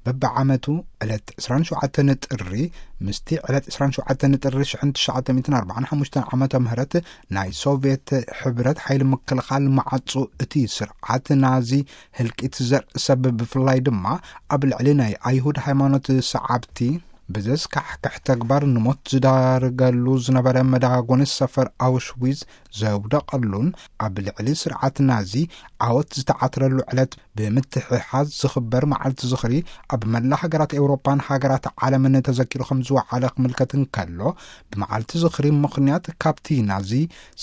በብዓመቱ ዕለት ዕስራን ሸውዓተን ጥሪ ምስቲ ዕለት ዕስራን ሸውዓተን ጥሪ ሽሕን ትሽዓተ ሚእትን ኣርባዓን ሓሙሽተን ዓመተ ምህረት ናይ ሶቪየት ሕብረት ሓይሊ ምክልኻል መዓጹ፣ እቲ ስርዓት ናዚ ህልቂት ዘርእሰብ፣ ብፍላይ ድማ ኣብ ልዕሊ ናይ ኣይሁድ ሃይማኖት ሰዓብቲ ብዘስካሕክሕ ተግባር ንሞት ዝዳርገሉ ዝነበረ መዳጎኒ ሰፈር ኣውሽዊዝ ዘውደቐሉን ኣብ ልዕሊ ስርዓት ናዚ ዓወት ዝተዓትረሉ ዕለት ብምትሕሓዝ ዝኽበር መዓልቲ ዝኽሪ ኣብ መላ ሃገራት ኤውሮጳን ሃገራት ዓለምን ተዘኪሩ ከም ዝወዓለ ክምልከት እንከሎ፣ ብመዓልቲ ዝኽሪ ምኽንያት ካብቲ ናዚ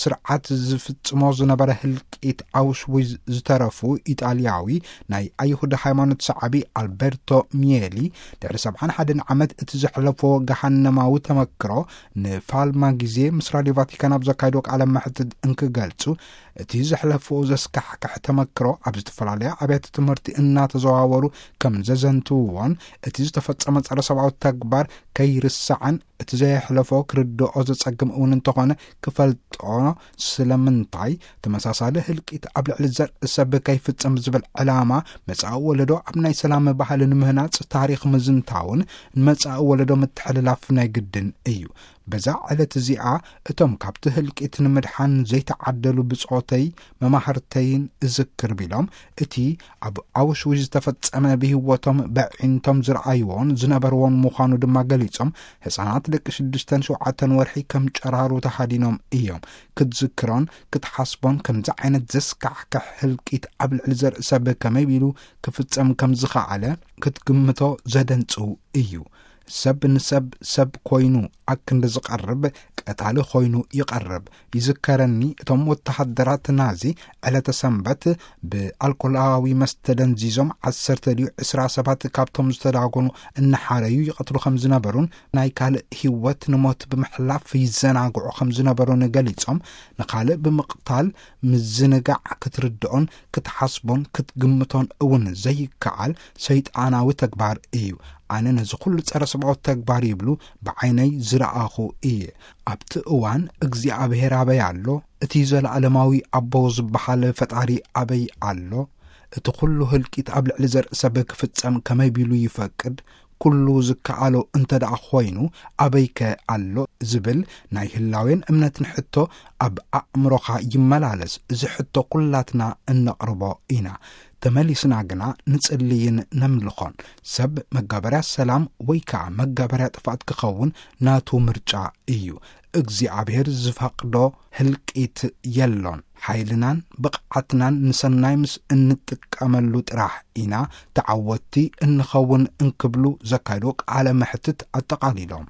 ስርዓት ዝፍጽሞ ዝነበረ ህልቂት ኣውሽዊዝ ዝተረፉ ኢጣልያዊ ናይ ኣይሁድ ሃይማኖት ሰዓቢ ኣልበርቶ ሚየሊ ድሕሪ ሰብዓን ሓደን ዓመት እቲ ዘሕለፎ ገሃነማዊ ተመክሮ ንፋልማ ግዜ ምስ ራድዮ ቫቲካን ኣብ ዘካየዶ ቃለ መሕትት እንክገልጹ፣ እቲ ዘሕለፎ ዘስካሕክሕ ተመክሮ ኣብ ዝተፈላለያ ኣብያተ ትምህርቲ እናተዘዋወሩ ከም ዘዘንትውዎን እቲ ዝተፈጸመ ጸረ ሰብኣዊ ተግባር ከይርሳዕን እቲ ዘየሕለፎ ክርድኦ ዘጸግም እውን እንተኾነ ክፈልጦ ስለምንታይ ተመሳሳሊ ህልቂት ኣብ ልዕሊ ዘርኢ ሰብ ከይፍጸም ዝብል ዕላማ መጻኢ ወለዶ ኣብ ናይ ሰላም ባህሊ ንምህናጽ ታሪኽ ምዝንታውን ንመጻኢ ወለዶ ምትሕልላፍ ናይ ግድን እዩ። በዛ ዕለት እዚኣ እቶም ካብቲ ህልቂት ንምድሓን ዘይተዓደሉ ብጾተይ መማህርተይን እዝክር ቢሎም፣ እቲ ኣብ ኣውሽዊዝ ዝተፈጸመ ብህይወቶም በዒንቶም ዝረኣይዎን ዝነበርዎን ምዃኑ ድማ ገሊጾም፣ ህጻናት ደቂ ሽዱሽተን ሸውዓተን ወርሒ ከም ጨራሩ ተሃዲኖም እዮም። ክትዝክሮን ክትሓስቦን ከምዚ ዓይነት ዘስካሕክሕ ህልቂት ኣብ ልዕሊ ዘርኢ ሰብ ከመይ ኢሉ ክፍጸም ከም ዝኸኣለ ክትግምቶ ዘደንጽው እዩ። ሰብ ንሰብ ሰብ ኮይኑ ኣክንዲ ዝቐርብ ቀታሊ ኮይኑ ይቐርብ። ይዝከረኒ እቶም ወተሃደራት ናዚ ዕለተ ሰንበት ብኣልኮላዊ መስተ ደንዚዞም ዓሰርተ ድዩ ዕስራ ሰባት ካብቶም ዝተዳጎኑ እናሓረዩ ይቐትሉ ከም ዝነበሩን ናይ ካልእ ህይወት ንሞት ብምሕላፍ ይዘናግዑ ከም ዝነበሩን ገሊጾም፣ ንኻልእ ብምቕታል ምዝንጋዕ ክትርድኦን ክትሓስቦን ክትግምቶን እውን ዘይከኣል ሰይጣናዊ ተግባር እዩ። ኣነ ነዚ ኩሉ ጸረ ሰብኣዊ ተግባር ይብሉ ብዓይነይ ዝረኣኹ እየ። ኣብቲ እዋን እግዚኣብሔር ኣበይ ኣሎ? እቲ ዘለዓለማዊ ኣቦ ዝበሃል ፈጣሪ ኣበይ ኣሎ? እቲ ኩሉ ህልቂት ኣብ ልዕሊ ዘርኢ ሰብ ክፍጸም ከመይ ቢሉ ይፈቅድ? ኩሉ ዝከኣሎ እንተ ደኣ ኾይኑ ኣበይከ ኣሎ? ዝብል ናይ ህላዌን እምነትን ሕቶ ኣብ ኣእምሮኻ ይመላለስ። እዚ ሕቶ ኩላትና እነቕርቦ ኢና። ተመሊስና ግና ንጽልይን ነምልኾን። ሰብ መጋበርያ ሰላም ወይ ከኣ መጋበርያ ጥፍኣት ክኸውን ናቱ ምርጫ እዩ። እግዚኣብሔር ዝፈቕዶ ህልቂት የሎን። ሓይልናን ብቕዓትናን ንሰናይ ምስ እንጥቀመሉ ጥራሕ ኢና ተዓወትቲ እንኸውን እንክብሉ ዘካየድዎ ቃለ መሕትት ኣጠቓሊሎም።